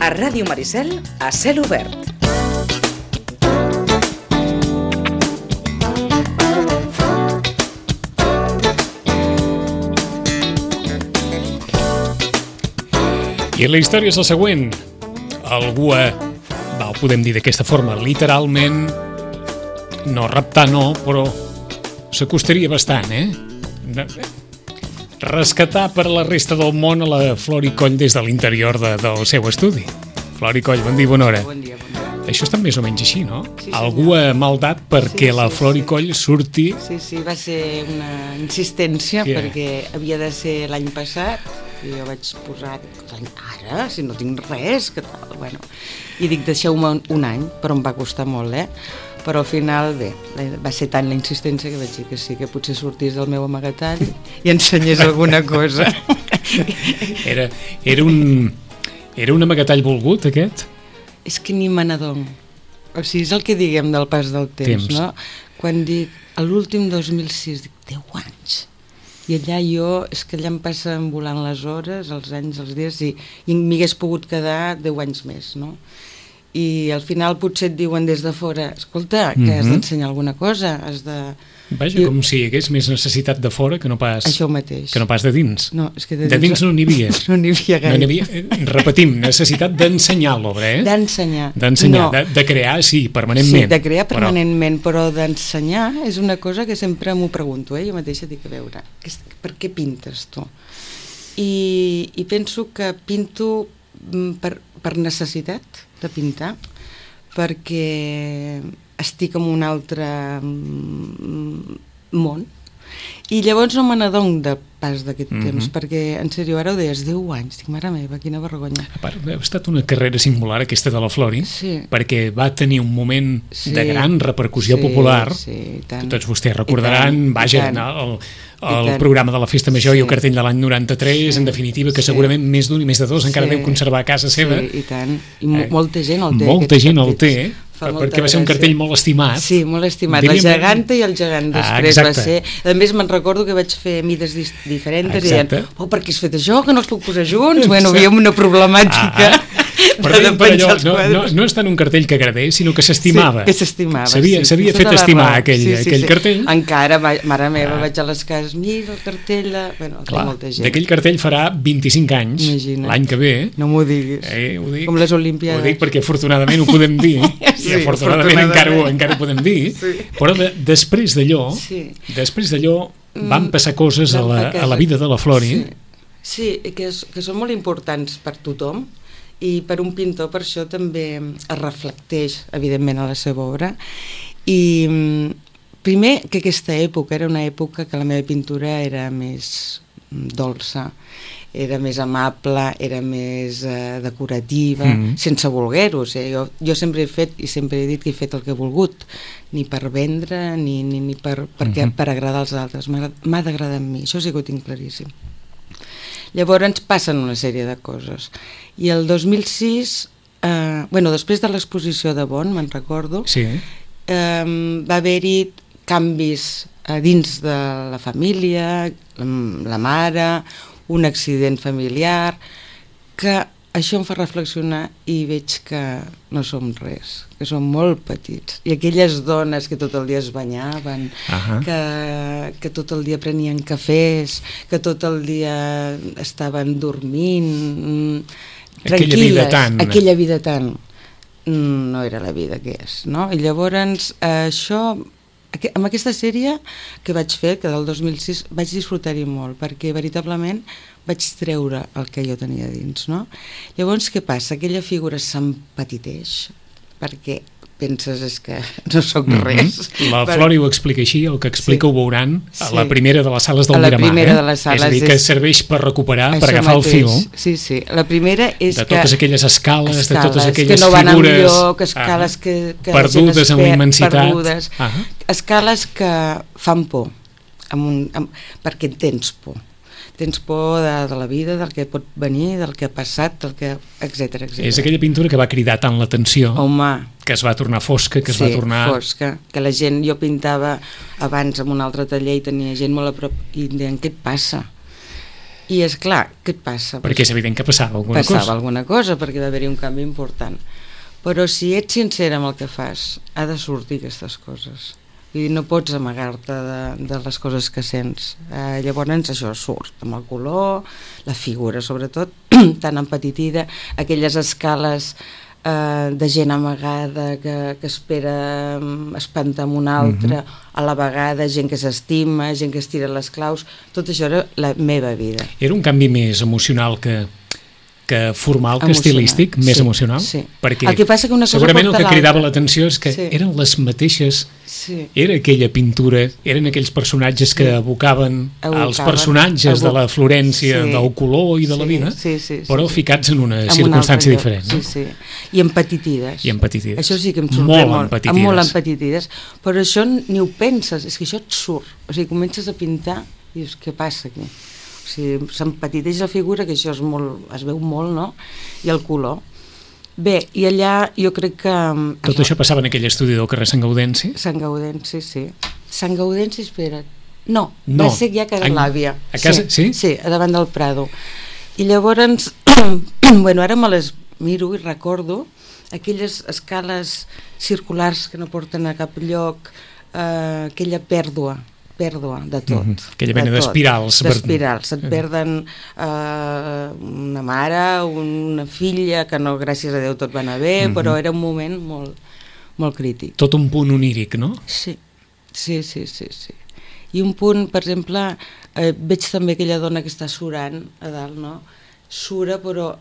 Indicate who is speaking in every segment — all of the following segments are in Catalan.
Speaker 1: A Ràdio Maricel, a cel obert.
Speaker 2: I la història és la següent. Algú ho podem dir d'aquesta forma, literalment, no raptar no, però s'acostaria bastant, rescatar per la resta del món a la Flori Coll des de l'interior del seu estudi. Flori Coll, bon dia, bona hora.
Speaker 3: Bon dia, bon dia.
Speaker 2: Això està més o menys així, no?
Speaker 3: Sí,
Speaker 2: algú ha maldat perquè la Flori Coll surti...
Speaker 3: Sí, va ser una insistència perquè havia de ser l'any passat i jo vaig posar ara, si no tinc res, que tal, bueno. I dic, deixeu-me un any, però em va costar molt, però al final, bé, va ser tant la insistència que vaig dir que sí, que potser sortís del meu amagatall i ensenyés alguna cosa.
Speaker 2: Era un amagatall volgut, aquest?
Speaker 3: És que ni me n'adono. O sigui, és el que diguem del pas del temps. No? Quan dic, a l'últim 2006, dic, 10 anys. I allà és que allà em passen volant les hores, els anys, els dies, i m'hi hagués pogut quedar 10 anys més, no? I al final potser et diuen des de fora, escolta, que has d'ensenyar alguna cosa, has de...
Speaker 2: Vaja, com si hi hagués més necessitat de fora que no pas...
Speaker 3: Això mateix.
Speaker 2: Que no pas de dins.
Speaker 3: No, és que
Speaker 2: de dins no n'hi havia.
Speaker 3: No n'hi havia gaire.
Speaker 2: No n'hi havia, repetim, necessitat d'ensenyar l'obra,
Speaker 3: D'ensenyar.
Speaker 2: D'ensenyar, no. de crear, sí, permanentment.
Speaker 3: Sí, de crear permanentment, però d'ensenyar és una cosa que sempre m'ho pregunto, jo mateixa dic, a veure, per què pintes tu? I penso que pinto per necessitat de pintar, perquè estic en un altre món i llavors no me n'adono de pas d'aquest temps, perquè en sèrio ara ho deies, 10 anys, dic, mare meva, quina vergonya.
Speaker 2: A part, ha estat una carrera singular aquesta de la Flori, perquè va tenir un moment de gran repercussió popular, que tots vostès recordaran, vaja, el programa de la Festa Major i el cartell de l'any 93, en definitiva, que segurament més d'un i més de dos encara deu conservar a casa seva.
Speaker 3: Sí, i tant, i molta gent el té.
Speaker 2: Molta gent el té, perquè va ser un cartell molt estimat.
Speaker 3: Sí, molt estimat, la geganta i el gegant després va ser. A més, me'n recordo que vaig fer mides diferents i deien, per què has fet això, que no els puc posar junts? Bueno, havíem una problemàtica.
Speaker 2: Però allò no és tant un cartell que agradés, sinó que s'estimava.
Speaker 3: Sí, que s'estimava.
Speaker 2: S'havia fet estimar aquell cartell.
Speaker 3: Encara, mare meva, vaig a les cases, mira el cartell, bueno, molta gent.
Speaker 2: D'aquell cartell farà 25 anys, l'any que ve.
Speaker 3: No m'ho diguis, com les Olimpiades.
Speaker 2: Ho dic perquè afortunadament ho podem dir, i afortunadament encara ho podem dir, però després d'allò van passar coses a la vida de la Flori.
Speaker 3: Sí, que són molt importants per tothom, i per un pintor per això també es reflecteix evidentment a la seva obra. I primer que aquesta època era una època que la meva pintura era més dolça, era més amable, era més decorativa, sense voler-ho. Jo sempre he fet i sempre he dit que he fet el que he volgut, ni per vendre ni per agradar als altres. M'ha d'agradar a mi, això sí que ho tinc claríssim. Llavors passen una sèrie de coses. I el 2006, després de l'exposició de Bonn, me'n recordo, va haver-hi canvis dins de la família, la mare, un accident familiar, que això em fa reflexionar i veig que no som res, que som molt petits. I aquelles dones que tot el dia es banyaven, que tot el dia prenien cafès, que tot el dia estaven dormint, tranquil·les, aquella vida tan... No era la vida que és, no? I llavors això... Amb aquesta sèrie que vaig fer, que del 2006, vaig disfrutar-hi molt, perquè veritablement vaig treure el que jo tenia dins, no? Llavors, què passa? Aquella figura s'empetiteix, perquè penses és que no soc res.
Speaker 2: La Flori ho explica així, el que explica ho veuran a la primera de les sales del Miramar. És a dir, que serveix per recuperar, per agafar el fil.
Speaker 3: Sí, la primera és que...
Speaker 2: De totes aquelles escales, de totes aquelles
Speaker 3: que no van
Speaker 2: figures...
Speaker 3: amb lloc, escales que
Speaker 2: perdudes en la immensitat.
Speaker 3: Perdudes, escales que fan por, perquè tens por. Tens por de la vida, del que pot venir, del que ha passat, del que... etcètera.
Speaker 2: És aquella pintura que va cridar tant l'atenció, que es va tornar fosca, que es va tornar...
Speaker 3: Sí, fosca, que la gent... Jo pintava abans en un altre taller i tenia gent molt a prop i em deien, què et passa? I és clar, què et passa?
Speaker 2: Perquè és evident que passava alguna cosa.
Speaker 3: Passava alguna cosa, perquè va haver-hi un canvi important. Però si ets sincera amb el que fas, ha de sortir aquestes coses. I no pots amagar-te de les coses que sents. Llavors això surt, amb el color, la figura sobretot, tan empetitida, aquelles escales de gent amagada que espera espantar amb una altra, a la vegada gent que s'estima, gent que es tira les claus, tot això era la meva vida.
Speaker 2: Era un canvi més emocional que formal, que estilístic, més emocional?
Speaker 3: Sí.
Speaker 2: Perquè
Speaker 3: el que passa que una cosa
Speaker 2: segurament el que cridava l'atenció és que eren les mateixes, era aquella pintura, eren aquells personatges que evocaven els personatges de la Florència, del color i de la vida, però ficats en una circumstància diferent.
Speaker 3: I empetitides. Això sí que em sorprèn molt. Molt empetitides. Però això ni ho penses, és que això et surt. O sigui, comences a pintar i dius, què passa aquí? O sigui, s'empetiteix la figura, que això es veu molt, no? I el color. Bé, i allà jo crec que...
Speaker 2: Tot això passava en aquell estudi del carrer Sant Gaudenci?
Speaker 3: Sant Gaudenci, sí. Sant Gaudenci, espera't. No, va ser ja a Casa l'Àvia.
Speaker 2: A casa, sí?
Speaker 3: Sí, a davant del Prado. I llavors, bueno, ara me les miro i recordo aquelles escales circulars que no porten a cap lloc, aquella pèrdua de tot.
Speaker 2: Aquella mena d'espirals.
Speaker 3: D'espirals. Et perden una mare, una filla, que no, gràcies a Déu tot va anar bé, però era un moment molt, molt crític.
Speaker 2: Tot un punt oníric, no?
Speaker 3: Sí. I un punt, per exemple, veig també aquella dona que està surant a dalt, no? Sura, però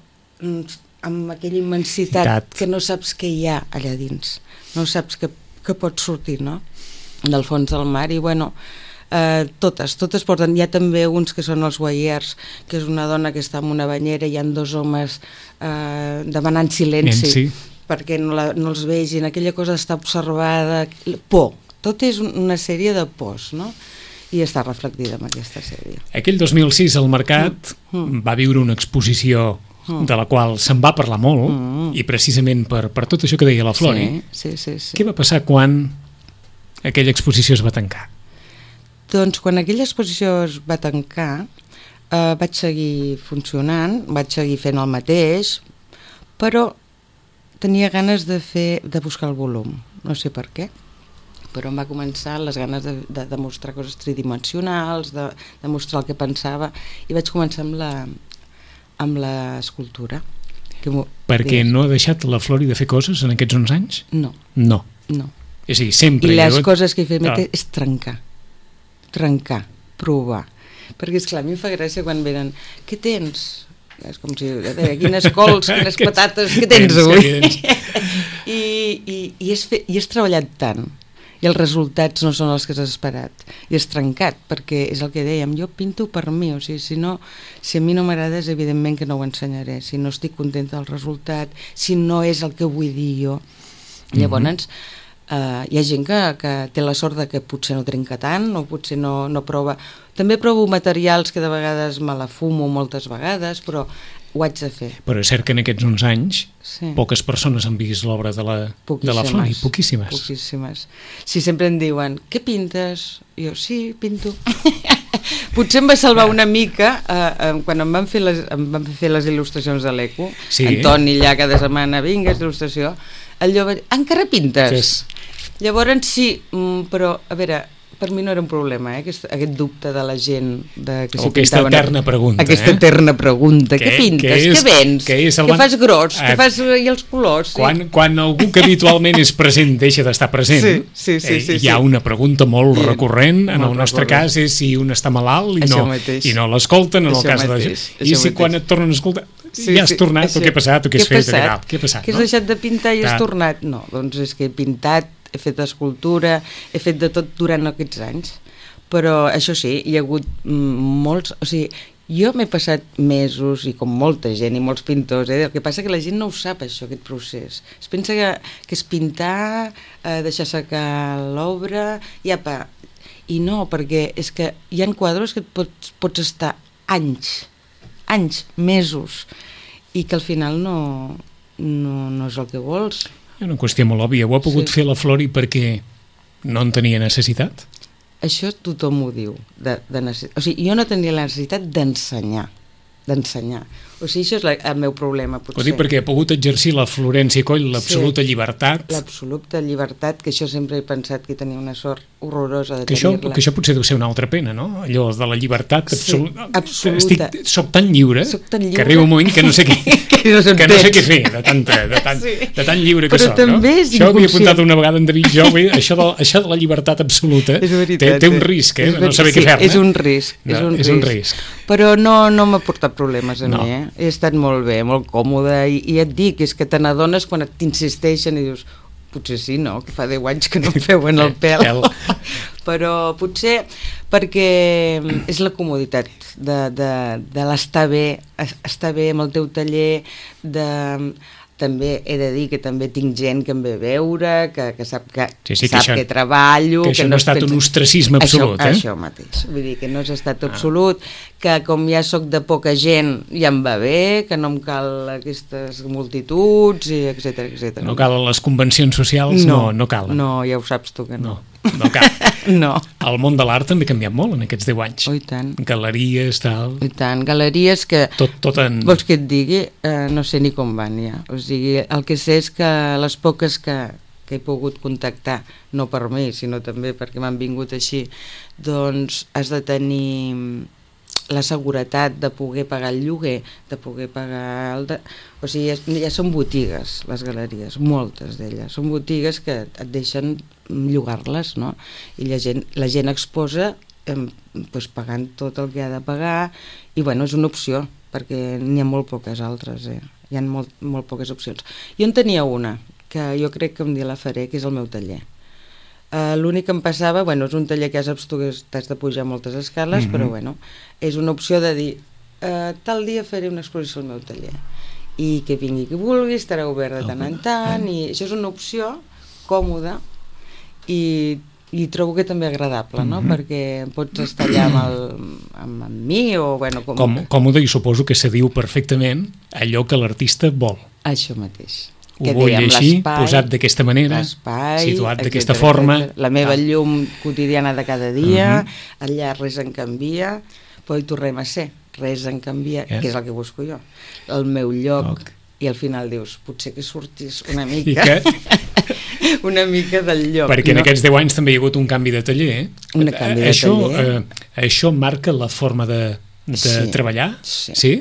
Speaker 3: amb aquella immensitat que no saps què hi ha allà dins. No saps que pot sortir, no? Del fons del mar. I bueno, totes porten. Hi ha també uns que són els guaiers, que és una dona que està en una banyera i hi ha dos homes demanant silenci perquè no els vegin, aquella cosa d'estar observada, por. Tot és una sèrie de pors, no? I està reflectida en aquesta sèrie.
Speaker 2: Aquell 2006 el Mercat va viure una exposició de la qual se'n va parlar molt, i precisament per tot això que deia la Flori.
Speaker 3: Sí.
Speaker 2: Què va passar quan aquella exposició es va tancar?
Speaker 3: Doncs quan aquella exposició es va tancar vaig seguir funcionant, vaig seguir fent el mateix, però tenia ganes de buscar el volum, no sé per què, però em va començar les ganes de demostrar coses tridimensionals, de mostrar el que pensava, i vaig començar amb l'escultura.
Speaker 2: Perquè no ha deixat la Flori de fer coses en aquests 11 anys?
Speaker 3: No.
Speaker 2: És a dir, sempre...
Speaker 3: I les coses que he fet és trencar, provar. Perquè, esclar, a mi em fa gràcia quan venen, què tens? És com si, quines cols, quines patates, què tens avui? I has treballat tant, i els resultats no són els que has esperat, i has trencat, perquè és el que dèiem, jo pinto per mi, o sigui, si a mi no m'agrada, és evidentment que no ho ensenyaré, si no estic contenta del resultat, si no és el que vull dir jo. Llavors, hi ha gent que té la sort de que potser no trenca tant, o potser no prova. També provo materials que de vegades me la fumo moltes vegades, però ho haig de fer.
Speaker 2: Però és cert que en aquests 11 anys poques persones han vist l'obra de la Flori, poquíssimes. Sí, sempre em diuen, què pintes? Jo, sí, pinto. Potser em va salvar una mica quan em van fer les il·lustracions de l'Eco, Antoni allà cada setmana, vinga, il·lustració, allò va dir, encara pintes? Llavors sí, però a veure, per mi no era un problema, aquest dubte de la gent o aquesta eterna pregunta.
Speaker 3: Aquesta eterna pregunta, què pintes, què vens, què fas gros, què fas i els colors.
Speaker 2: Quan algú que habitualment és present deixa d'estar present, hi ha una pregunta molt recurrent, en el nostre cas és si un està malalt i no l'escolten, en el cas de... I si quan et tornen a escoltar ja has tornat, o què ha passat, o què has fet, què ha passat?
Speaker 3: Que has deixat de pintar i has tornat? No, doncs és que he pintat, he fet escultura, he fet de tot durant aquests anys, però això sí, hi ha hagut molts, o sigui, jo m'he passat mesos, i com molta gent i molts pintors, el que passa que la gent no ho sap això, aquest procés, es pensa que és pintar, deixar secar l'obra, i apa, i no, perquè és que hi ha quadres que pots estar anys, mesos, i que al final no és el que vols.
Speaker 2: És una qüestió molt òbvia. Ho ha pogut fer la Flori perquè no en tenia necessitat?
Speaker 3: Això tothom ho diu. O sigui, jo no tenia la necessitat d'ensenyar. d'ensenyar. O sigui, això és el meu problema, potser.
Speaker 2: Ho dic perquè ha pogut exercir la Florència Coll l'absoluta llibertat.
Speaker 3: L'absoluta llibertat, que això sempre he pensat que tenia una sort horrorosa de tenir-la.
Speaker 2: Que això potser deu ser una altra pena, no? Allò de la llibertat absoluta.
Speaker 3: Absoluta.
Speaker 2: Soc tan lliure que arriba un moment que no sé què, que no sé què fer de tan lliure que soc, no? Això ho havia apuntat una vegada en David Jove, això de la llibertat absoluta té un risc, no saber què fer-ne.
Speaker 3: És un risc. Però no m'ha portat problemes a mi, he estat molt bé, molt còmode, i et dic, és que te n'adones quan t'insisteixen i dius, potser sí, no? Que fa 10 anys que no em feuen el pèl. Però potser perquè és la comoditat de l'estar bé amb el teu taller, també he de dir que també tinc gent que em ve a veure, que sap que treballo...
Speaker 2: Que això no ha estat un ostracisme absolut,
Speaker 3: Això mateix, vull dir que no ha estat absolut, que com ja sóc de poca gent ja em va bé, que no em cal aquestes multituds, etc.
Speaker 2: No calen les convencions socials? No calen.
Speaker 3: No, ja ho saps tu que no.
Speaker 2: No cal.
Speaker 3: No.
Speaker 2: El món de l'art també ha canviat molt en aquests 10 anys.
Speaker 3: Oh, i tant.
Speaker 2: Galeries, tal...
Speaker 3: I tant, galeries que...
Speaker 2: Tot en...
Speaker 3: Vols que et digui? No sé ni com van ja. O sigui, el que sé és que les poques que he pogut contactar, no per mi, sinó també perquè m'han vingut així, doncs has de tenir la seguretat de poder pagar el lloguer, de poder pagar o sigui, ja són botigues les galeries, moltes d'elles són botigues que et deixen llogar-les, no? I la gent exposa doncs pagant tot el que ha de pagar, i bueno, és una opció perquè n'hi ha molt poques altres, hi ha molt poques opcions. Jo en tenia una que jo crec que un dia la faré, que és el meu taller. L'únic que em passava, és un taller que ja saps tu que t'has de pujar moltes escales, però és una opció de dir tal dia faré una exposició al meu taller i que vingui qui vulgui, estarà obert de tant en tant, i això és una opció còmoda i trobo que també agradable, no? Perquè pots estar allà amb mi o...
Speaker 2: Còmode, i suposo que se diu perfectament allò que l'artista vol.
Speaker 3: Això mateix.
Speaker 2: Ho vull així, posat d'aquesta manera, situat d'aquesta forma.
Speaker 3: La meva llum quotidiana de cada dia, allà res en canvia, però hi tornem a ser, res en canvia, que és el que busco jo. El meu lloc, i al final dius, potser que sortis una mica, una mica del lloc.
Speaker 2: Perquè en aquests 10 anys també hi ha hagut un canvi de taller,
Speaker 3: Un canvi de taller.
Speaker 2: Això marca la forma de treballar? Sí?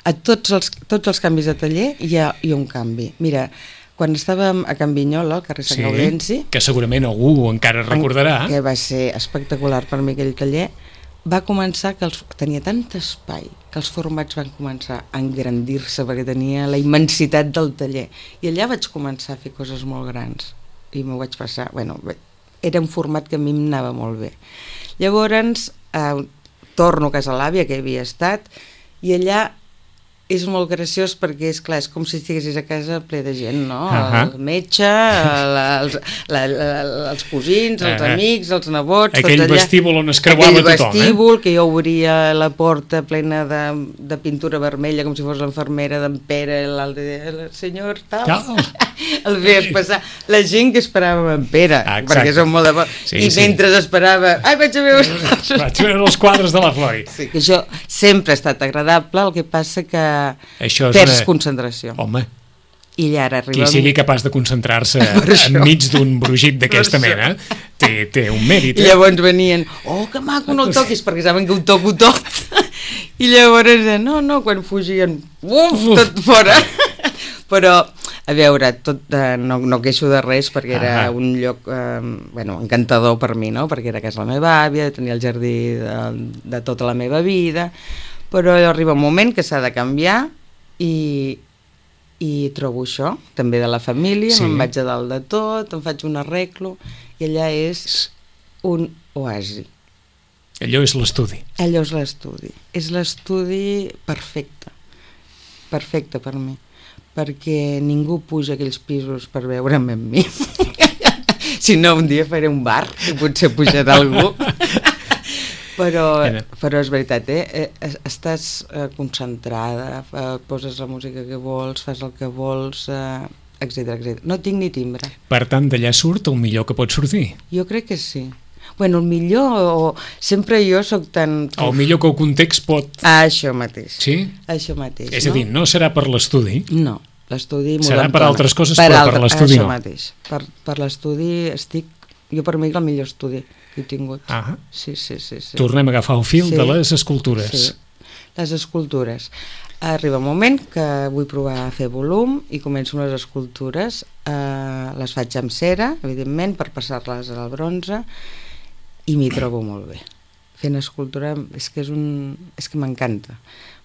Speaker 3: A tots els canvis de taller hi ha un canvi. Mira, quan estàvem a Can Vinyola, al carrer Sant Gaudenci...
Speaker 2: Que segurament algú encara recordarà.
Speaker 3: Que va ser espectacular per mi aquell taller. Va començar que tenia tant espai que els formats van començar a engrandir-se perquè tenia la immensitat del taller. I allà vaig començar a fer coses molt grans. I m'ho vaig passar... Era un format que a mi em anava molt bé. Llavors, torno a casa l'àvia, que hi havia estat, i allà és molt graciós perquè, és clar, és com si estiguessis a casa ple de gent, no? El metge, els cosins, els amics, els nebots...
Speaker 2: Aquell vestíbul on es creuava tothom,
Speaker 3: Aquell vestíbul que jo obria la porta plena de pintura vermella, com si fos l'enfermera d'en Pere, l'altre dia, el senyor tal... El veies passar, la gent que esperava en Pere, perquè són molt de bo, i mentre esperava, vaig a veure
Speaker 2: els quadres de la Flori.
Speaker 3: Sí, que això sempre ha estat agradable, el que passa que perds concentració.
Speaker 2: Home,
Speaker 3: i ara
Speaker 2: qui sigui capaç de concentrar-se enmig d'un brugit d'aquesta mena té un mèrit.
Speaker 3: I llavors venien, que maco, no el toquis, perquè saben que ho toco tot. I llavors, no, quan fugien, tot fora. Però, a veure, no queixo de res perquè era un lloc encantador per mi, no? Perquè era a casa de la meva àvia, tenia el jardí de tota la meva vida, però arriba un moment que s'ha de canviar i trobo això, també de la família, me'n vaig a dalt de tot, em faig un arreglo, i allà és un oasi.
Speaker 2: Allò és l'estudi.
Speaker 3: Allò és l'estudi. És l'estudi perfecte per mi, perquè ningú puja a aquells pisos per veure'm amb mi. Si no, un dia faré un bar i potser pujarà algú. Però és veritat, estàs concentrada, poses la música que vols, fas el que vols, etc. No tinc ni timbre.
Speaker 2: Per tant, d'allà surt el millor que pot sortir.
Speaker 3: Jo crec que sí. Bueno, el millor, sempre jo soc tan...
Speaker 2: El millor que el context pot...
Speaker 3: Això mateix.
Speaker 2: Sí?
Speaker 3: Això mateix,
Speaker 2: És a dir, no serà per l'estudi?
Speaker 3: No, l'estudi...
Speaker 2: Serà per altres coses, però per l'estudi no.
Speaker 3: Això mateix. Per l'estudi estic... Jo per mi és el millor estudi que he tingut.
Speaker 2: Ah.
Speaker 3: Sí.
Speaker 2: Tornem a agafar el fil de les escultures.
Speaker 3: Sí, les escultures. Arriba un moment que vull provar a fer volum i començo les escultures. Les faig amb cera, evidentment, per passar-les al bronze, i m'hi trobo molt bé. Fent escultura és que m'encanta,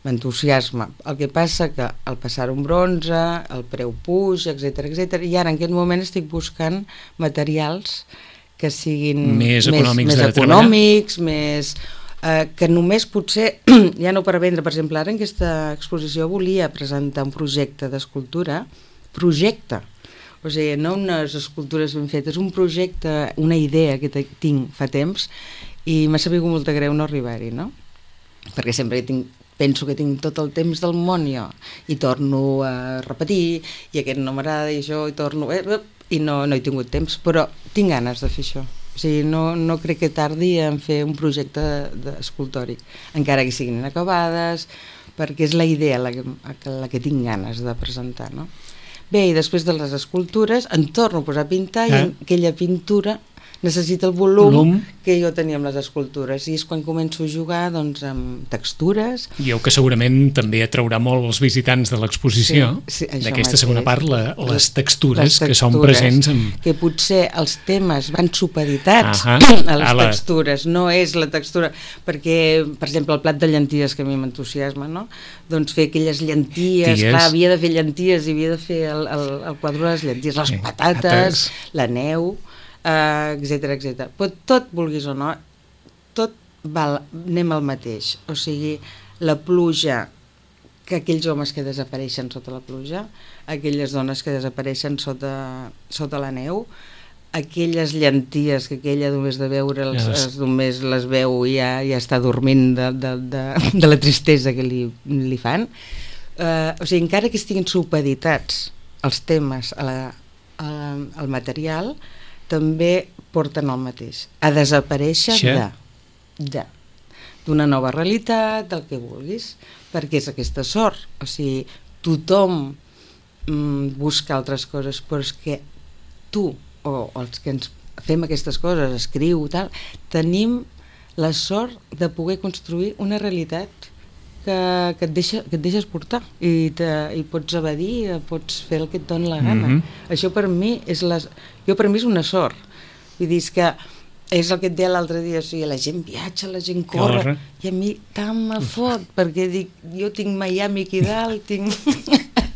Speaker 3: m'entusiasma. El que passa que al passar un bronze, el preu puja, etc. I ara en aquest moment estic buscant materials que siguin
Speaker 2: més econòmics,
Speaker 3: que només potser, ja no per vendre, per exemple, ara en aquesta exposició volia presentar un projecte d'escultura, o sigui, no unes escultures ben fetes, un projecte, una idea que tinc fa temps, i m'ha sabut molt de greu no arribar-hi, no? Perquè sempre penso que tinc tot el temps del món jo, i torno a repetir, i aquest no m'agrada, i això, i torno... i no he tingut temps, però tinc ganes de fer això. O sigui, no crec que tardi en fer un projecte escultòric, encara que siguin inacabades, perquè és la idea la que tinc ganes de presentar, no? Bé, i després de les escultures em torno a posar a pintar i aquella pintura necessita el volum que jo tenia amb les escultures, i és quan començo a jugar doncs, amb textures.
Speaker 2: I que segurament també atraurà molt els visitants de l'exposició, d'aquesta segona part, les textures que són presents.
Speaker 3: Que potser els temes van supeditats a les textures, no és la textura, perquè, per exemple, el plat de llenties que a mi m'entusiasma, no? Doncs fer aquelles llenties, clar, havia de fer llenties i havia de fer el quadre de les llenties, les patates, la neu, etc. Però tot, vulguis o no, tot anem al mateix. O sigui, la pluja, que aquells homes que desapareixen sota la pluja, aquelles dones que desapareixen sota la neu, aquelles llenties que aquella només de veure'ls només les veu i ja està dormint de la tristesa que li fan. O sigui, encara que estiguin supeditats els temes al material, també porten el mateix, a desaparèixer d'una nova realitat, del que vulguis, perquè és aquesta sort. O sigui, tothom busca altres coses, però és que tu, o els que ens fem aquestes coses, escriu, tal, tenim la sort de poder construir una realitat que et deixes portar i pots evadir, pots fer el que et doni la gana. Això per mi és una sort. Vull dir, que és el que et deia l'altre dia, o sigui, la gent viatja, la gent corre, i a mi tant me fot, perquè dic, jo tinc Miami aquí dalt, tinc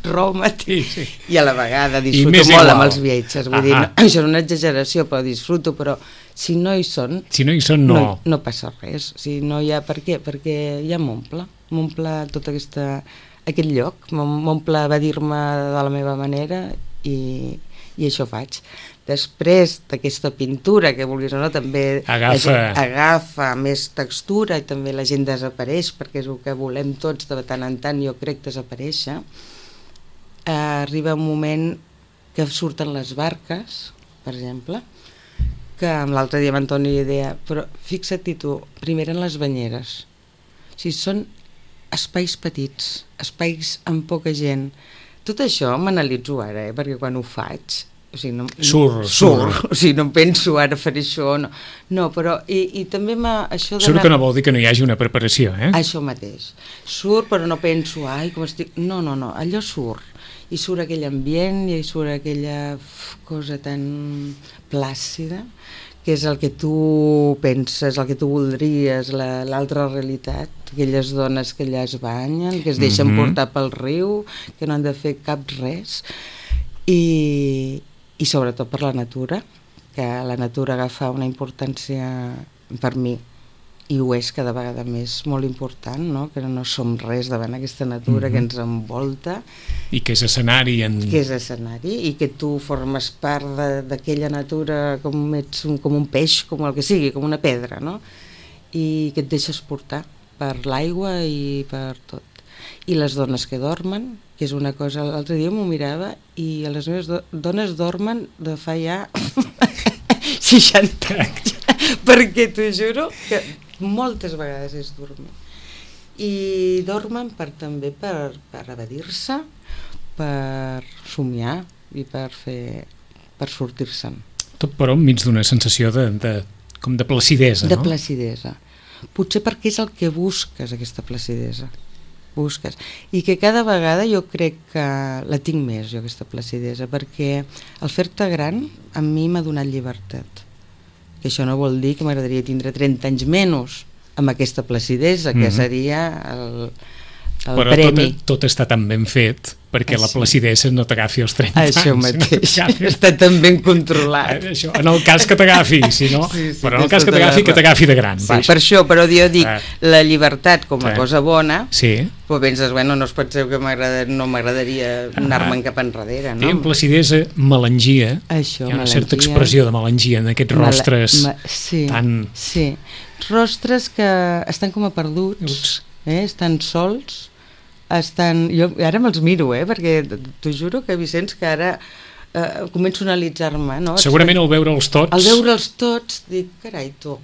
Speaker 3: Roma, i a la vegada disfruto molt amb els viatges. Vull dir, això és una exageració, però disfruto, però si no hi són, no passa res. O sigui, no hi ha per què, perquè ja m'omple tot aquest lloc, m'omple evadir-me de la meva manera i això faig. Després d'aquesta pintura, que vulguis o no, també agafa més textura i també la gent desapareix, perquè és el que volem tots de tant en tant, jo crec, desaparèixer. Arriba un moment que surten les barques, per exemple, que l'altre dia m'Antoni deia, però fixa't tu, primer en les banyeres, o sigui, són espais petits, espais amb poca gent. Tot això m'analitzo ara, perquè quan ho faig, o sigui, surt. O sigui, no penso ara fer això, no, però i també això
Speaker 2: surt que no vol dir que no hi hagi una preparació,
Speaker 3: Això mateix, surt però no penso, com estic... No, allò surt, i surt aquell ambient i surt aquella cosa tan plàcida, que és el que tu penses, el que tu voldries, l'altra realitat, aquelles dones que allà es banyen, que es deixen portar pel riu, que no han de fer cap res, i sobretot per la natura, que la natura agafa una importància per mi, i ho és cada vegada més molt important, no? Que no som res davant aquesta natura que ens envolta.
Speaker 2: I que és escenari.
Speaker 3: Que és escenari, i que tu formes part d'aquella natura com un peix, com el que sigui, com una pedra, no? I que et deixes portar per l'aigua i per tot. I les dones que dormen, que és una cosa... L'altre dia m'ho mirava i les meves dones dormen de fa ja 60 anys. perquè t'ho juro que moltes vegades és dormir. I dormen també per evadir-se, per somiar i per sortir-se'n.
Speaker 2: Tot però enmig d'una sensació com de placidesa,
Speaker 3: no? De placidesa. Potser perquè és el que busques, aquesta placidesa. Busques. I que cada vegada jo crec que la tinc més, jo, aquesta placidesa, perquè al fer-te gran a mi m'ha donat llibertat. Que això no vol dir que m'agradaria tindre 30 anys menys amb aquesta placidesa, que seria el premi.
Speaker 2: Però tot està tan ben fet perquè la placidesa no t'agafi als 30 anys.
Speaker 3: Això mateix, està tan ben controlat.
Speaker 2: Això, en el cas que t'agafi, si no, però en el cas que t'agafi de gran.
Speaker 3: Sí, per això, però jo dic, la llibertat com a cosa bona, però penses, bueno, no us penseu que no m'agradaria anar-me'n cap enrere, no?
Speaker 2: Diem placidesa, melangia,
Speaker 3: això,
Speaker 2: hi ha una certa expressió de melangia en aquests rostres tan...
Speaker 3: Sí, rostres que estan com a perduts, estan sols, jo ara me'ls miro, perquè t'ho juro que, Vicenç, que ara començo a analitzar-me, no?
Speaker 2: Segurament al veure'ls tots...
Speaker 3: Al veure'ls tots dic, carai, tu,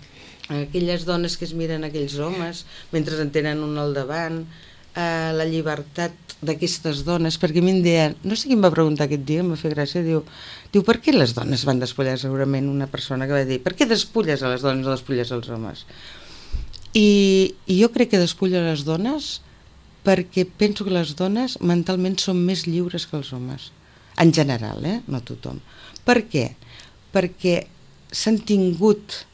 Speaker 3: aquelles dones que es miren aquells homes mentre en tenen un al davant, la llibertat d'aquestes dones, perquè a mi em deien, no sé qui em va preguntar aquest dia, em va fer gràcia, diu, per què les dones van despullar? Segurament una persona que va dir, per què despulles a les dones o despulles als homes? I jo crec que despullo les dones perquè penso que les dones mentalment són més lliures que els homes, en general, no tothom. Per què? Perquè s'han tingut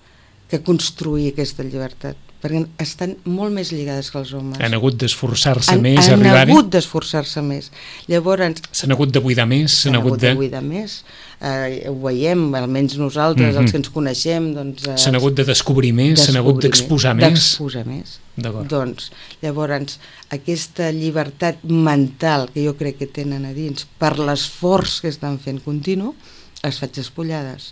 Speaker 3: que construir aquesta llibertat, perquè estan molt més lligades que els homes.
Speaker 2: Han hagut d'esforçar-se més a arribar-hi?
Speaker 3: Han hagut d'esforçar-se més. Llavors...
Speaker 2: S'han hagut de buidar més?
Speaker 3: S'han hagut de buidar més. Ho veiem, almenys nosaltres, els que ens coneixem...
Speaker 2: S'han hagut de descobrir més, s'han hagut d'exposar més?
Speaker 3: D'exposar més. Doncs, llavors, aquesta llibertat mental que jo crec que tenen a dins per l'esforç que estan fent continu, les faig despullades.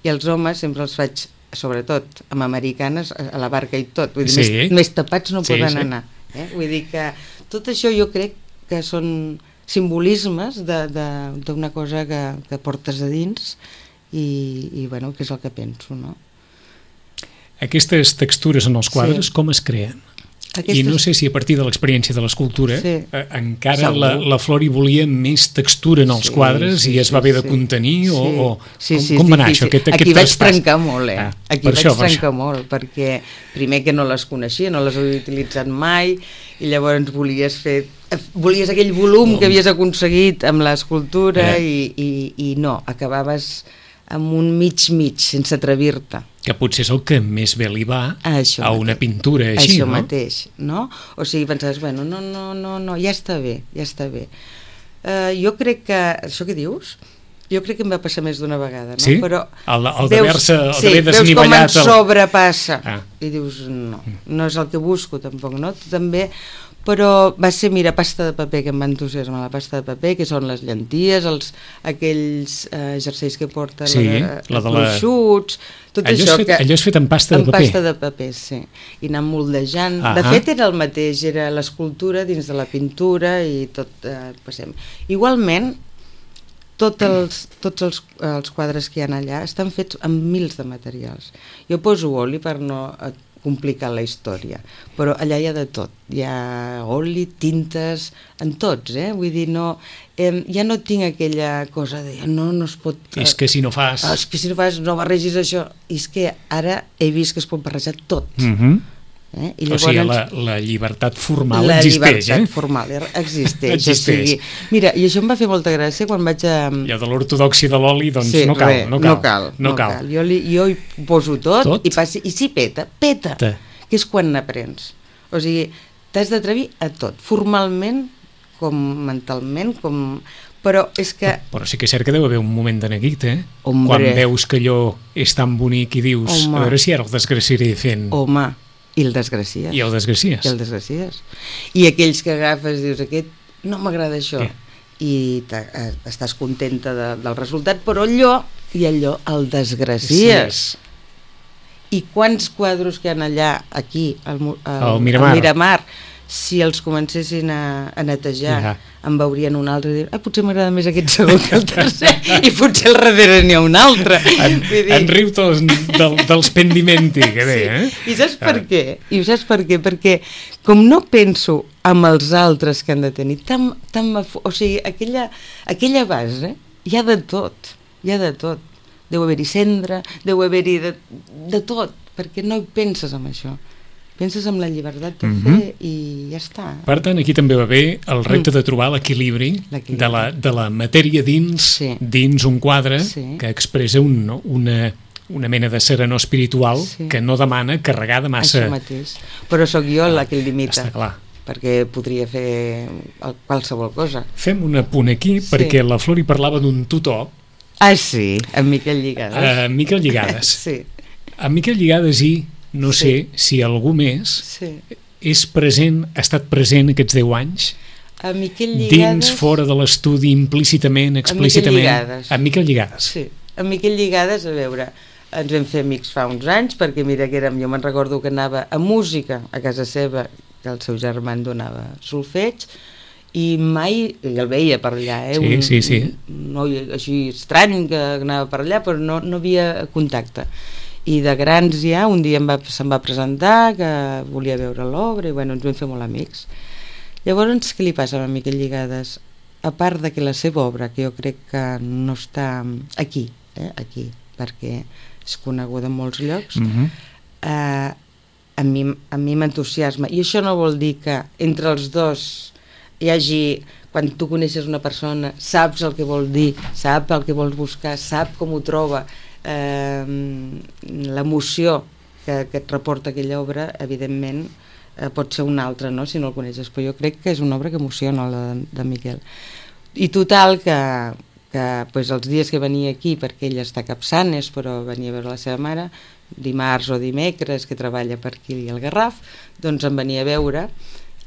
Speaker 3: I els homes sempre els faig, sobretot amb americanes, a la barca i tot. Vull dir, més tapats no poden anar. Vull dir que tot això jo crec que són simbolismes d'una cosa que portes a dins i bueno, que és el que penso, no?
Speaker 2: Aquestes textures en els quadres, com es creen? I no sé si a partir de l'experiència de l'escultura encara la Flori volia més textura en els quadres i es va haver de contenir o com va anar això?
Speaker 3: Aquí vaig trencar molt, aquí vaig trencar molt, perquè primer que no les coneixia, no les havia utilitzat mai i llavors volies aquell volum que havies aconseguit amb l'escultura i no, acabaves amb un mig, sense atrevir-te.
Speaker 2: Que potser és el que més bé li va a una pintura així, no?
Speaker 3: Això mateix, no? O sigui, pensaves, bueno, no, ja està bé. Jo crec que, això que dius, jo crec que em va passar més d'una vegada, no?
Speaker 2: Sí?
Speaker 3: Però
Speaker 2: el d'haver desnivellat...
Speaker 3: Veus com en sobrepassa i dius, no és el que busco tampoc, no? També... Però va ser, mira, pasta de paper, que em va entusiasmar la pasta de paper, que són les llenties, aquells jerseis que porta els gruixuts, tot això.
Speaker 2: Allò és fet amb pasta de paper?
Speaker 3: Amb pasta de paper, sí. I anant moldejant. De fet, era el mateix, era l'escultura dins de la pintura i tot passem. Igualment, tots els quadres que hi ha allà estan fets amb mils de materials. Jo poso oli per no complicar la història, però allà hi ha de tot, hi ha oli, tintes, en tots, vull dir, ja no tinc aquella cosa de no es pot...
Speaker 2: És que si no fas...
Speaker 3: És que si no fas, no barregis això, i és que ara he vist que es pot barrejar tot.
Speaker 2: I llavors, o sigui, la llibertat formal existeix.
Speaker 3: La llibertat formal existeix. O sigui, mira, i això em va fer molta gràcia quan vaig a...
Speaker 2: Ja de l'ortodòxia de l'oli, doncs no cal.
Speaker 3: Jo hi poso tot. I si peta, que és quan n'aprens. O sigui, t'has d'atrevir a tot, formalment, com mentalment, com... Però és que...
Speaker 2: Però sí que és cert que deu haver un moment de neguit, quan veus que allò és tan bonic i dius, a veure si ara el desgraciaré fent...
Speaker 3: Home, i el desgracies.
Speaker 2: I el desgracies.
Speaker 3: I aquells que agafes, dius, aquest no m'agrada això. I estàs contenta del resultat, però allò el desgracies. I quants quadros que hi ha allà, aquí, al Miramar, si els comencessin a netejar, en veurien un altre i dir, potser m'agrada més aquest segon que el tercer, i potser al darrere n'hi ha un altre.
Speaker 2: En riu dels pendimenti, que bé,
Speaker 3: I saps per què? Perquè com no penso amb els altres que han de tenir, o sigui, aquella base hi ha de tot, deu haver-hi cendra, deu haver-hi de tot, perquè no hi penses en això. Penses en la llibertat de fer i ja està.
Speaker 2: Per tant, aquí també va bé el repte de trobar l'equilibri de la matèria dins un quadre que expressa una mena de serenor espiritual que no demana carregar de massa...
Speaker 3: Això mateix. Però sóc jo la que el limita.
Speaker 2: Està clar.
Speaker 3: Perquè podria fer qualsevol cosa.
Speaker 2: Fem un apunt aquí perquè la Flori parlava d'un tutor.
Speaker 3: Ah, sí, en Miquel Lligades.
Speaker 2: En Miquel Lligades.
Speaker 3: Sí.
Speaker 2: En Miquel Lligades no sé si algú més és present, ha estat present aquests 10 anys
Speaker 3: a Miquel Lligades,
Speaker 2: dins, fora de l'estudi, implícitament, explícitament.
Speaker 3: A
Speaker 2: Miquel Lligades.
Speaker 3: Sí, a Miquel Lligades, a veure, ens vam fer amics fa uns anys, perquè mira que jo me'n recordo que anava a música a casa seva, que el seu germà en donava solfeig, i mai el veia per allà, un noi així estrany que anava per allà, però no havia contacte. I de grans ja, un dia se'm va presentar que volia veure l'obra i ens vam fer molt amics. Llavors, què li passa a Miquel Lligades? A part de que la seva obra, que jo crec que no està aquí, perquè és coneguda en molts llocs, a mi m'entusiasma. I això no vol dir que entre els dos hi hagi, quan tu coneixes una persona, saps el que vol dir, sap el que vols buscar, sap com ho troba, l'emoció que et reporta aquella obra, evidentment pot ser una altra, no?, si no el coneixes, però jo crec que és una obra que emociona, la de Miquel. I total que els dies que venia aquí, perquè ell està a Capçanes, però venia a veure la seva mare, dimarts o dimecres, que treballa per aquí al Garraf, doncs em venia a veure,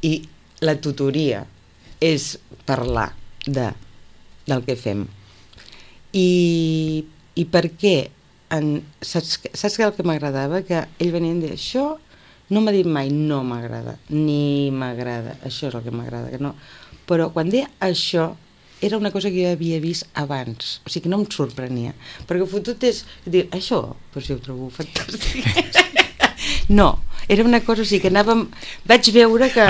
Speaker 3: i la tutoria és parlar del que fem. I per què? Saps què el que m'agradava? Que ell venia a dir, això no m'ha dit mai no m'agrada, ni m'agrada, això és el que m'agrada, que no. Però quan deia això, era una cosa que jo havia vist abans, o sigui que no em sorprenia, perquè fotut és dir, això, però si ho trobo fantàstic. No, era una cosa, o sigui que anàvem, vaig veure que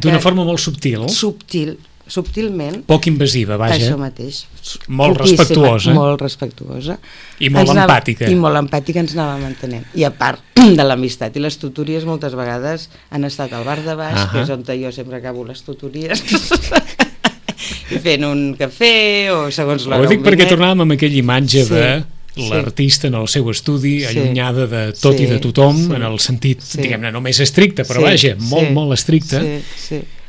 Speaker 2: d'una forma molt subtil.
Speaker 3: Subtilment.
Speaker 2: Poc invasiva, vaja.
Speaker 3: Això mateix.
Speaker 2: Molt respectuosa.
Speaker 3: Molt respectuosa.
Speaker 2: I molt empàtica.
Speaker 3: I molt empàtica, ens anàvem entenent. I a part de l'amistat i les tutories, moltes vegades han estat al bar de baix, que és on jo sempre acabo les tutories, i fent un cafè o segons l'hora.
Speaker 2: Ho dic perquè tornàvem amb aquella imatge de l'artista en el seu estudi, allunyada de tot i de tothom, en el sentit, diguem-ne, no més estricte, però vaja, molt estricte.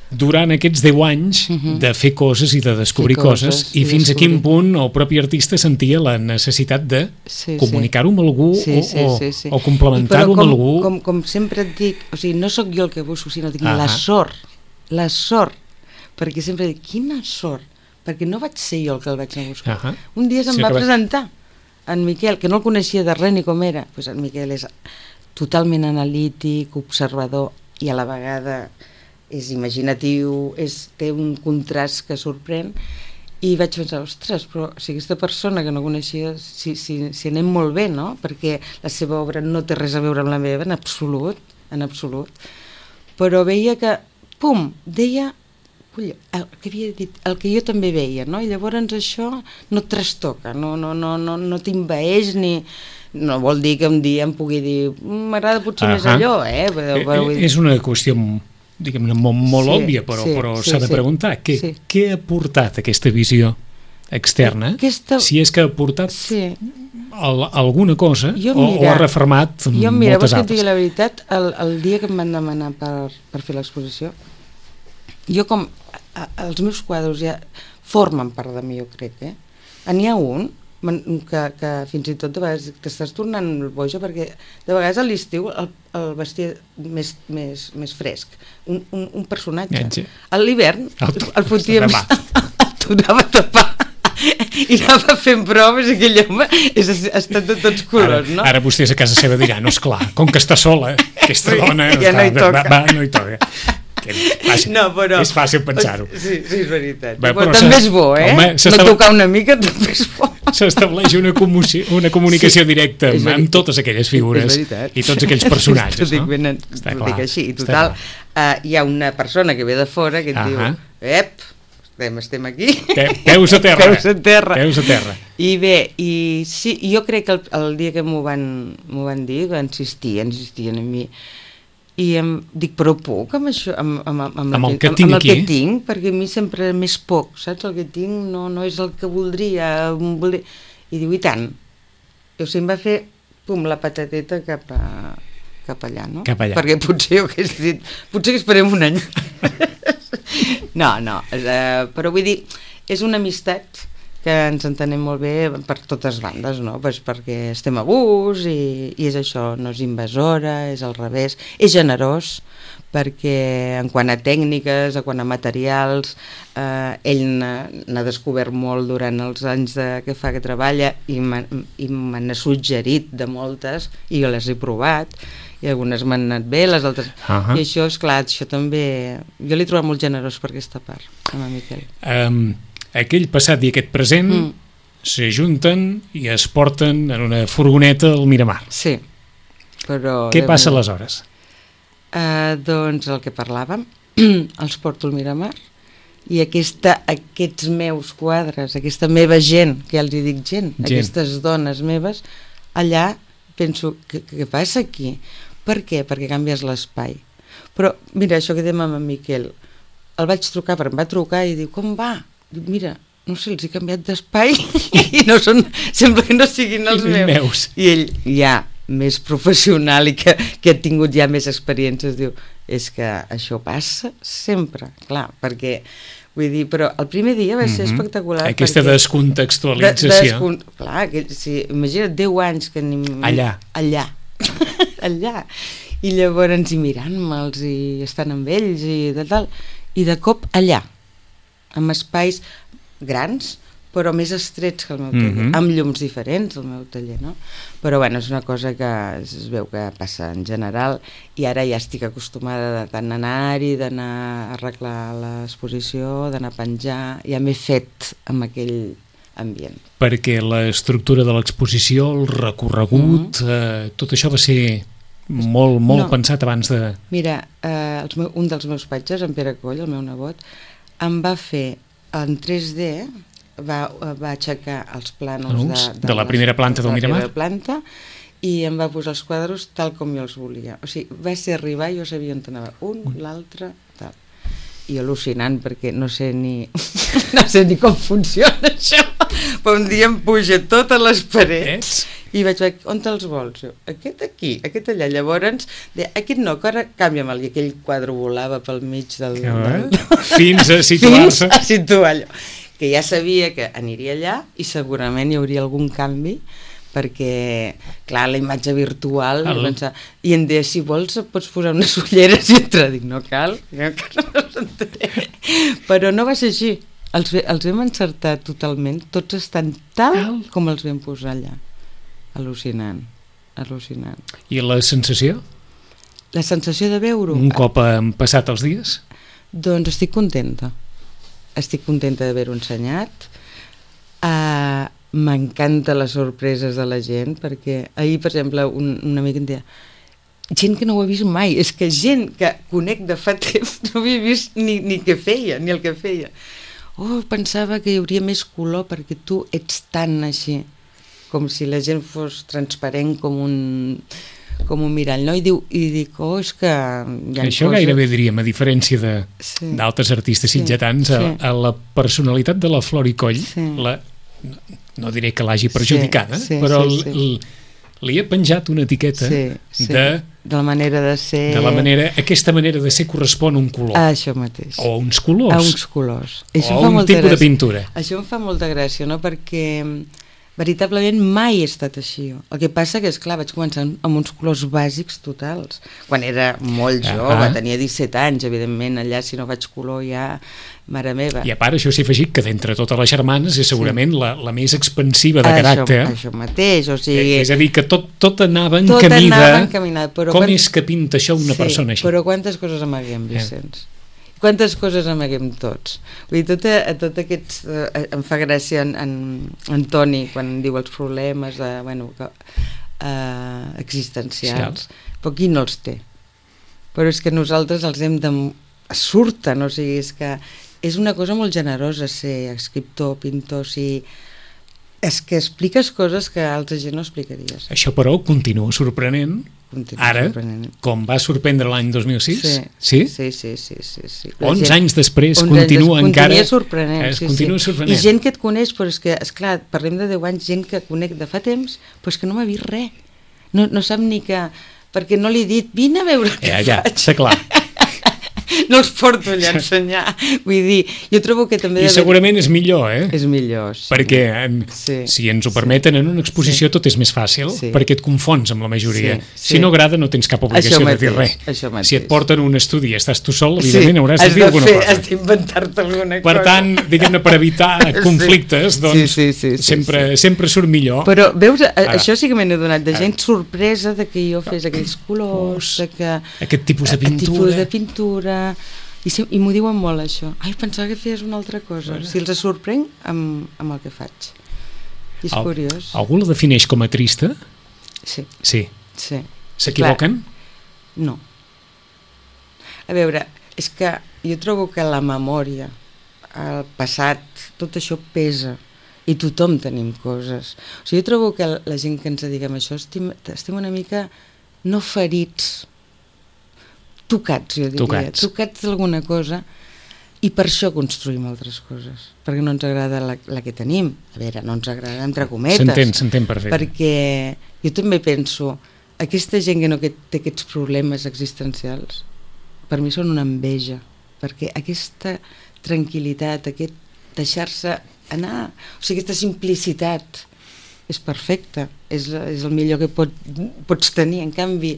Speaker 2: Durant aquests 10 anys de fer coses i de descobrir coses, i fins a quin punt el propi artista sentia la necessitat de comunicar-ho amb algú o complementar-ho amb algú.
Speaker 3: Com sempre et dic, o sigui, no sóc jo el que busco, sinó dic la sort, perquè sempre dic, quina sort, perquè no vaig ser jo el que el vaig anar a buscar. Un dia se'm va presentar en Miquel, que no el coneixia de res ni com era, doncs en Miquel és totalment analític, observador, i a la vegada és imaginatiu, té un contrast que sorprèn, i vaig pensar, ostres, però si aquesta persona que no coneixia, si anem molt bé, no? Perquè la seva obra no té res a veure amb la meva, en absolut, però veia que, pum, deia el que havia dit, el que jo també veia, no? I llavors això no et trastoca, no t'envaeix, ni... No vol dir que un dia em pugui dir, m'agrada potser més allò,
Speaker 2: És una qüestió, diguem-ne, molt òbvia, però s'ha de preguntar què ha portat aquesta visió externa, si és que ha portat alguna cosa o ha refermat moltes altres.
Speaker 3: Mira, vols que et digui la veritat, el dia que em van demanar per fer l'exposició, jo com els meus quadres ja formen part de mi, jo crec, n'hi ha un que fins i tot de vegades t'estàs tornant boja, perquè de vegades a l'estiu el vestia més fresc, un personatge. A l'hivern el fotia tornava a tapar i anava fent proves, i aquell home ha estat de tots colors, no?
Speaker 2: Ara vostès a casa seva diran, no, esclar, com que està sola, aquesta dona
Speaker 3: ja no hi toca.
Speaker 2: No hi toca. És fàcil pensar-ho.
Speaker 3: Sí, és veritat. Però també és bo, no tocar una mica també és bo.
Speaker 2: S'estableix una comunicació directa amb totes aquelles figures i tots aquells personatges.
Speaker 3: T'ho dic així. I total, hi ha una persona que ve de fora que et diu estem aquí.
Speaker 2: Peus a terra.
Speaker 3: I bé, sí, jo crec que el dia que m'ho van dir, insistien a mi, i em dic, però puc amb això, amb el que tinc, perquè a mi sempre més poc, saps? El que tinc no és el que voldria. I diu, i tant. I o sigui, em va fer, la patateta cap allà, no? Perquè potser jo hagués dit, potser que esperem un any. No, però vull dir, és una amistat que ens entenem molt bé per totes bandes, no? Pues perquè estem a gust i és això, no és invasora, és al revés, és generós, perquè en quant a tècniques, en quant a materials, ell n'ha descobert molt durant els anys que fa que treballa i me n'ha suggerit de moltes i jo les he provat i algunes m'han anat bé, les altres... I això, esclar, això també... Jo l'he trobat molt generós per aquesta part, amb en Miquel.
Speaker 2: Aquell passat i aquest present s'ajunten i es porten en una furgoneta al Miramar.
Speaker 3: Sí, però...
Speaker 2: Què passa aleshores?
Speaker 3: Doncs el que parlàvem, els porto al Miramar i aquests meus quadres, aquesta meva gent, que ja els hi dic gent, aquestes dones meves, allà penso, què passa aquí? Per què? Perquè canvies l'espai. Però, mira, això que dèiem amb en Miquel, el vaig trucar, perquè em va trucar i diu, com va? Dic, mira, no sé, els he canviat d'espai i no són, sembla que no siguin els meus. I ell, ja, més professional i que ha tingut ja més experiències, diu, és que això passa sempre, clar, perquè, vull dir, però el primer dia va ser espectacular.
Speaker 2: Aquesta descontextualització.
Speaker 3: Clar, imagina't 10 anys que allà. I llavors mirant-me'ls i estant amb ells i de cop allà, amb espais grans, però més estrets que el meu taller, amb llums diferents el meu taller, no? Però bueno, és una cosa que es veu que passa en general i ara ja estic acostumada de tant anar-hi, d'anar a arreglar l'exposició, d'anar a penjar, ja m'he fet amb aquell ambient.
Speaker 2: Perquè l'estructura de l'exposició, el recorregut, tot això va ser molt pensat abans de...
Speaker 3: Mira, un dels meus patges, en Pere Coll, el meu nebot, em va fer en 3D, va aixecar els plànols
Speaker 2: de la primera planta del Miramar,
Speaker 3: i em va posar els quadres tal com jo els volia. O sigui, va ser arribar i jo sabia on anava l'altre, tal. I al·lucinant, perquè no sé ni com funciona això, però un dia em puja totes les parets i vaig dir, on te'ls vols? Aquest aquí, aquest allà. Llavors, aquest no, que ara canvia-me'l, i aquell quadre volava pel mig del...
Speaker 2: Fins a situar-se.
Speaker 3: Fins a situar-lo. Que ja sabia que aniria allà i segurament hi hauria algun canvi, perquè, clar, la imatge virtual, i em deia, si vols pots posar unes ulleres, i entra, dic, no cal, però no va ser així, els vam encertar totalment, tots estan tal com els vam posar allà, al·lucinant.
Speaker 2: I la sensació?
Speaker 3: La sensació de veure-ho?
Speaker 2: Un cop han passat els dies?
Speaker 3: Doncs estic contenta d'haver-ho ensenyat, m'encanta les sorpreses de la gent, perquè ahir, per exemple, un amic em deia, gent que no ho ha vist mai, és que gent que conec de fa temps no havia vist ni què feia, ni el que feia. Pensava que hi hauria més color perquè tu ets tan així, com si la gent fos transparent com un mirall, no? I dic, és que...
Speaker 2: Això gairebé diríem, a diferència d'altres artistes sitgetans, a la personalitat de la Flor i Coll, no diré que l'hagi perjudicada, però li he penjat una etiqueta de
Speaker 3: la manera de ser...
Speaker 2: Aquesta manera de ser correspon a un color.
Speaker 3: Això mateix.
Speaker 2: O a uns colors.
Speaker 3: A uns colors.
Speaker 2: O a un tipus de pintura.
Speaker 3: Això em fa molta gràcia, no? Perquè veritablement mai he estat així. El que passa que, esclar, vaig començar amb uns colors bàsics totals. Quan era molt jove, tenia 17 anys, evidentment, allà si no faig color ja... Mare meva.
Speaker 2: I a part, això s'ha afegit que d'entre totes les germanes és segurament la més expansiva de caràcter.
Speaker 3: Això mateix, o sigui...
Speaker 2: És a dir, que tot anava en camí de... Com és que pinta això una persona així?
Speaker 3: Però quantes coses amaguem, Vicenç? quantes coses amaguem tots. Vull dir, tot aquests... em fa gràcia en Toni quan diu els problemes existencials, però qui no els té? Però és que nosaltres els hem de... surten, o sigui, és que és una cosa molt generosa ser escriptor, pintor, és que expliques coses que altra gent no explicaries.
Speaker 2: Això, però, continua sorprenent. Com va sorprendre l'any 2006?
Speaker 3: Sí?
Speaker 2: Sí. 11 anys després continua encara...
Speaker 3: Continua sorprenent. I gent que et coneix, però és que, esclar, parlem de 10 anys, gent que conec de fa temps, però és que no m'ha vist res. No sap ni que... Perquè no li he dit, vine a veure què faig.
Speaker 2: Ja, està clar.
Speaker 3: No els porto allà a ensenyar. Vull dir, jo trobo que també...
Speaker 2: I segurament és millor,
Speaker 3: És millor, sí.
Speaker 2: Perquè si ens ho permeten en una exposició tot és més fàcil, perquè et confons amb la majoria. Si no agrada no tens cap obligació de dir res. Si et porten un estudi i estàs tu sol, evidentment hauràs de dir alguna cosa.
Speaker 3: Has d'inventar-te alguna cosa.
Speaker 2: Per tant, diguem-ne, per evitar conflictes, doncs sempre surt millor.
Speaker 3: Però, veus, això sí que m'he adonat, de gent sorpresa de que jo fes aquells colors,
Speaker 2: aquest tipus de pintura,
Speaker 3: i m'ho diuen molt, això. Ai, pensava que feies una altra cosa. Si els sorprenc amb el que faig. I és curiós.
Speaker 2: Algú la defineix com a trista?
Speaker 3: Sí.
Speaker 2: S'equivoquen?
Speaker 3: No. A veure, és que jo trobo que la memòria, el passat, tot això pesa. I tothom tenim coses. O sigui, jo trobo que la gent que ens dediquem a això estem una mica no ferits, tocats, jo diria, tocats d'alguna cosa, i per això construïm altres coses, perquè no ens agrada la que tenim. A veure, no ens agrada entre cometes.
Speaker 2: S'entén perfecte.
Speaker 3: Perquè jo també penso, aquesta gent que té aquests problemes existencials, per mi són una enveja, perquè aquesta tranquil·litat, aquest deixar-se anar, o sigui, aquesta simplicitat és perfecta, és el millor que pots tenir. En canvi,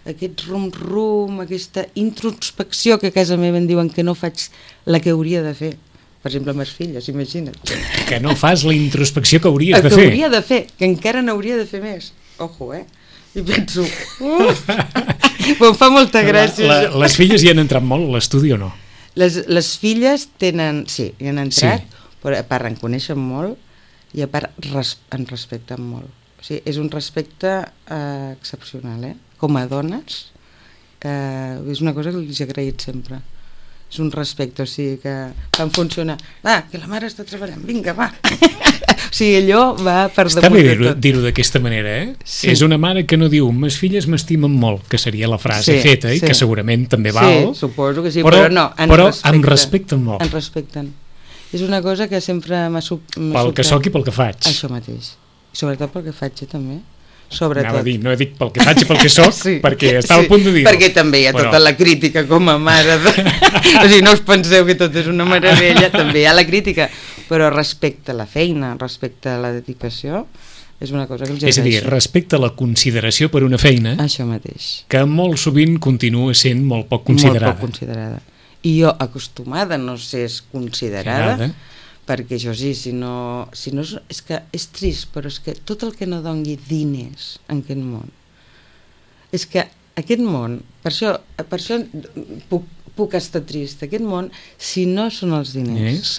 Speaker 3: aquest rum-rum, aquesta introspecció que a casa meva em diuen que no faig la que hauria de fer, per exemple amb les filles, imagina't.
Speaker 2: Que no fas la introspecció que hauries de fer.
Speaker 3: Que hauria de fer, que encara n'hauria de fer més. Ojo, I penso, em fa molta gràcia.
Speaker 2: Les filles hi han entrat molt a l'estudi o no?
Speaker 3: Les filles tenen, sí, hi han entrat, però a part en coneixen molt i a part en respecten molt. O sigui, és un respecte excepcional, com a dones, és una cosa que els he agraït sempre. És un respecte, o sigui, que fan funcionar. Va, que la mare està treballant, vinga, va. O sigui, allò va per damunt de tot.
Speaker 2: Està bé dir-ho d'aquesta manera, Sí. És una mare que no diu, mes filles m'estimen molt, que seria la frase feta, i que segurament també val.
Speaker 3: Sí, suposo que sí, però no,
Speaker 2: em respecten molt.
Speaker 3: Em respecten. És una cosa que sempre m'ha
Speaker 2: pel que soc i pel que faig.
Speaker 3: Això mateix. I sobretot pel que faig, també. Sobretot.
Speaker 2: Anava a dir, no he dit pel que faig i pel que soc, perquè estava a punt de dir-ho.
Speaker 3: Perquè també hi ha tota la crítica com a mare. O sigui, no us penseu que tot és una meravella, també hi ha la crítica, però respecte a la feina, respecte a la dedicació, és una cosa que els agraeixo.
Speaker 2: És a dir, respecte a la consideració per una feina,
Speaker 3: això mateix,
Speaker 2: que molt sovint continua sent molt poc considerada.
Speaker 3: Molt poc considerada. I jo, acostumada a no ser considerada, perquè això sí, si no és que és trist, però és que tot el que no doni diners en aquest món, és que aquest món, per això puc estar trist, aquest món, si no són els diners,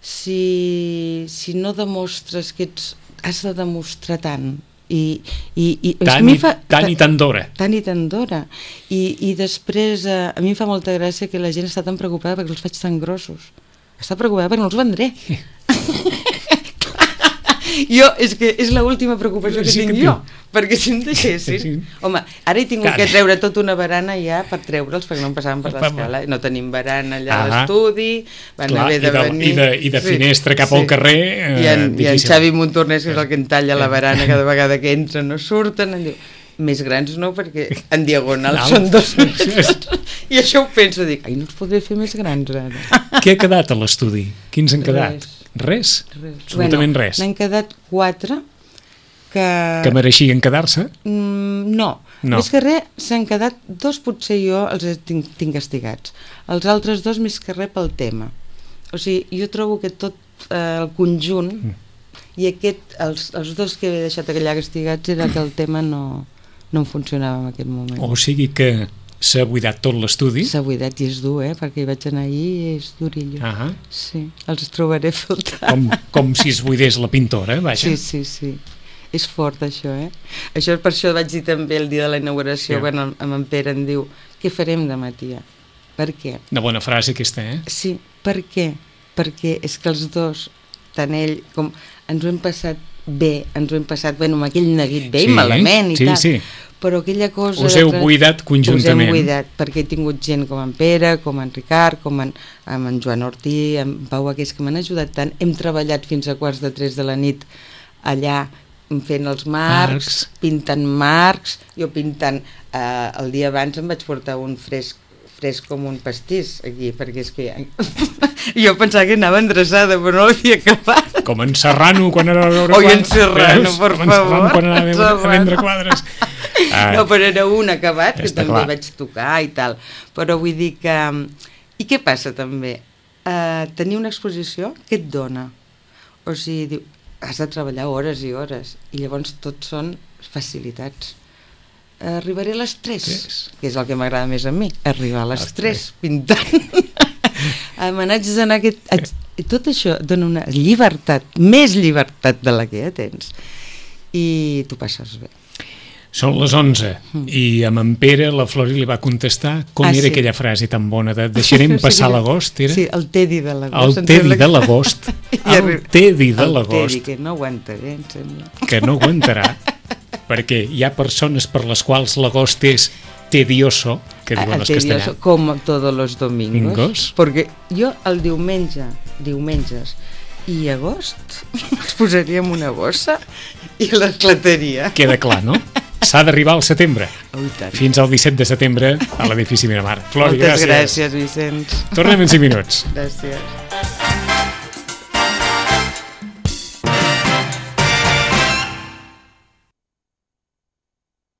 Speaker 3: si no demostres que has de demostrar tant, tant
Speaker 2: i tant d'hora.
Speaker 3: I després a mi em fa molta gràcia que la gent està tan preocupada perquè els faig tan grossos. Està preocupada perquè no els vendré. Jo, és que és l'última preocupació que tinc jo, perquè si em deixessin... Home, ara he tingut que treure tota una barana ja per treure'ls, perquè no em passaven per l'escala, no tenim barana allà a l'estudi, van haver de venir...
Speaker 2: I de finestra cap al carrer,
Speaker 3: difícil. I en Xavi Montornès, que és el que en talla la barana cada vegada que entren no surten, em diu, més grans no, perquè en diagonal són 2 metres. I això ho penso, dic, ai, no els podré fer més grans ara.
Speaker 2: Què ha quedat a l'estudi? Quins han quedat? Res? Absolutament res.
Speaker 3: N'han quedat 4
Speaker 2: que mereixien quedar-se?
Speaker 3: No. Més que res s'han quedat 2, potser jo els tinc castigats. Els altres 2 més que res pel tema. O sigui, jo trobo que tot el conjunt i els 2 que he deixat allà castigats era que el tema no funcionava en aquest moment.
Speaker 2: O sigui que s'ha buidat tot l'estudi.
Speaker 3: S'ha buidat i és dur, perquè hi vaig anar ahir i és durillo. Sí, els trobaré faltant.
Speaker 2: Com si es buidés la pintora, vaja.
Speaker 3: Sí. És fort, això, Això, per això vaig dir també el dia de la inauguració, quan en Pere em diu, què farem demà, tia? Per què?
Speaker 2: Una bona frase aquesta,
Speaker 3: Sí, per què? Perquè és que els dos, tant ell com ens ho hem passat bé, amb aquell neguit bé i malament i tal, però aquella cosa...
Speaker 2: Us heu buidat conjuntament.
Speaker 3: Us hem buidat, perquè he tingut gent com en Pere, com en Ricard, com en Joan Ortí, en Pau Aqués, que m'han ajudat tant. Hem treballat fins a 2:45 de la nit allà, fent els marcs, pintant marcs, jo pintant, el dia abans em vaig portar un fresc com un pastís aquí, perquè és que jo pensava que anava endreçada, però no l'havia acabat.
Speaker 2: Com en Serrano quan anava a veure
Speaker 3: quadres. Oi, en Serrano, per favor.
Speaker 2: Quan anava a vendre quadres.
Speaker 3: No, però era un acabat que també vaig tocar i tal. Però vull dir que... I què passa també? Tenir una exposició, què et dona? O sigui, has de treballar hores i hores, i llavors tot són facilitats. Arribaré a les 3, que és el que m'agrada més a mi, arribar a les 3 pintant. Me n'haig d'anar tot això dona una llibertat, més llibertat de la que ja tens, i tu passes bé.
Speaker 2: Són les 11 i amb en Pere la Flori li va contestar com era aquella frase tan bona de deixarem passar l'agost, era?
Speaker 3: Sí, el Tedi de l'agost.
Speaker 2: El Tedi de l'agost. El Tedi de l'agost.
Speaker 3: El Tedi, que no aguantaré, em sembla.
Speaker 2: Que no aguantarà, perquè hi ha persones per les quals l'agost és tedioso, que diuen els castellans.
Speaker 3: Com todos los domingos. Perquè jo el diumenges i agost els posaria en una bossa i l'esclataria.
Speaker 2: Queda clar, no? S'ha d'arribar al setembre. Fins al 17 de setembre a l'edifici Miramar. Flori,
Speaker 3: gràcies. Moltes gràcies, Vicenç.
Speaker 2: Tornem en 5 minuts.
Speaker 3: Gràcies.